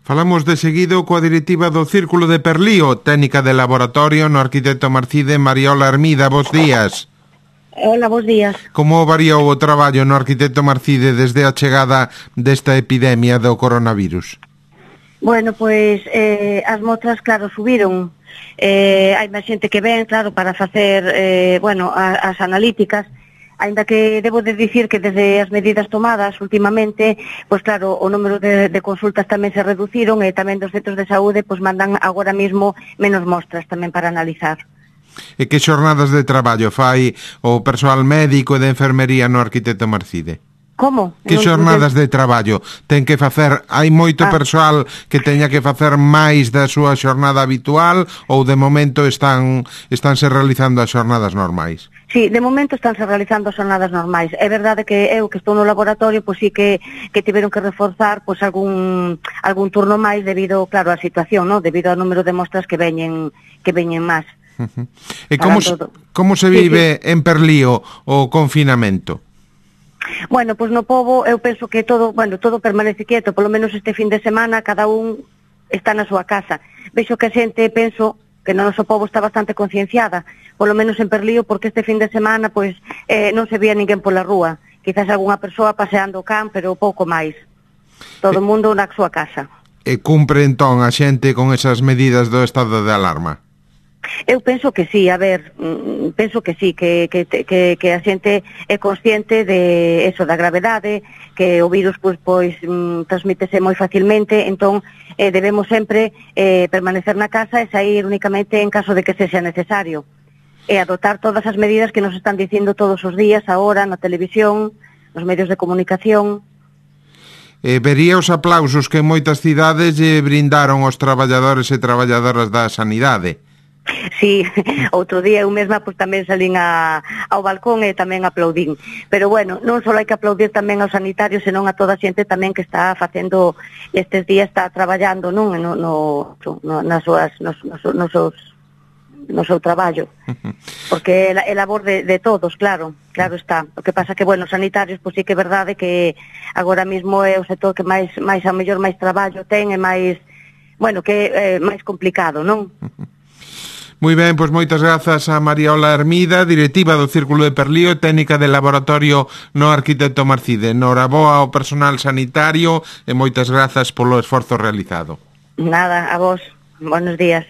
Falamos de seguido coa directiva do Círculo de Perlío, técnica de laboratorio no arquitecto Marcide, Mariola Hermida. Bos días. Hola, bos días. Como variou o traballo no arquitecto Marcide desde a chegada desta epidemia do coronavirus? Bueno, pois as mostras, claro, subiron. Hai máis xente que ven, claro, para facer, as analíticas. Ainda que debo de dicir que desde as medidas tomadas últimamente, pois claro, o número de consultas tamén se reduciron e tamén dos centros de saúde pois mandan agora mesmo menos mostras tamén para analizar. E que xornadas de traballo fai o persoal médico e de enfermería no arquitecto Marcide? Como? Que xornadas de traballo ten que facer? Hai moito persoal que teña que facer máis da súa xornada habitual ou de momento estánse realizando as xornadas normais? Sí, de momento estánse realizando as xornadas normais. É verdade que eu que estou no laboratorio, pois sí que tiveron que reforzar pois algún turno máis debido, claro, á situación, ¿no? Debido ao número de mostras que veñen máis. E como se vive en Perlío o confinamento? Bueno, pois no pobo eu penso que todo permanece quieto, polo menos este fin de semana cada un está na súa casa. Vexo que a xente, penso, que no noso pobo está bastante concienciada, polo menos en Perlío, porque este fin de semana pois non se vía ninguén pola rúa. Quizás algunha persoa paseando o can, pero pouco máis. Todo o mundo na súa casa. E cumpre entón a xente con esas medidas do estado de alarma? Eu penso que sí, penso que sí, que a xente é consciente de eso, da gravedade, que o virus pois transmítese moi facilmente, entón debemos sempre permanecer na casa e sair únicamente en caso de que sexa necesario. E adoptar todas as medidas que nos están dicindo todos os días, agora, na televisión, nos medios de comunicación. Vería os aplausos que en moitas cidades brindaron aos traballadores e traballadoras da sanidade. Sí, outro día eu mesma pois tamén salín ao balcón e tamén aplaudín. Pero bueno, non só hai que aplaudir tamén aos sanitarios, senón a toda a xente tamén que está facendo estes días, está traballando, non, no seu traballo. Porque é labor de todos, claro está. O que pasa que, bueno, os sanitarios, pois sí que é verdade que agora mesmo é o sector que máis a mellor máis traballo ten e máis, bueno, que é máis complicado, non? Moi ben, pois moitas grazas a Mariola Hermida, directiva do Círculo de Perlío, técnica de laboratorio no arquitecto Marcide. Noraboa ao personal sanitario e moitas grazas polo esforzo realizado. Nada, a vos. Buenos días.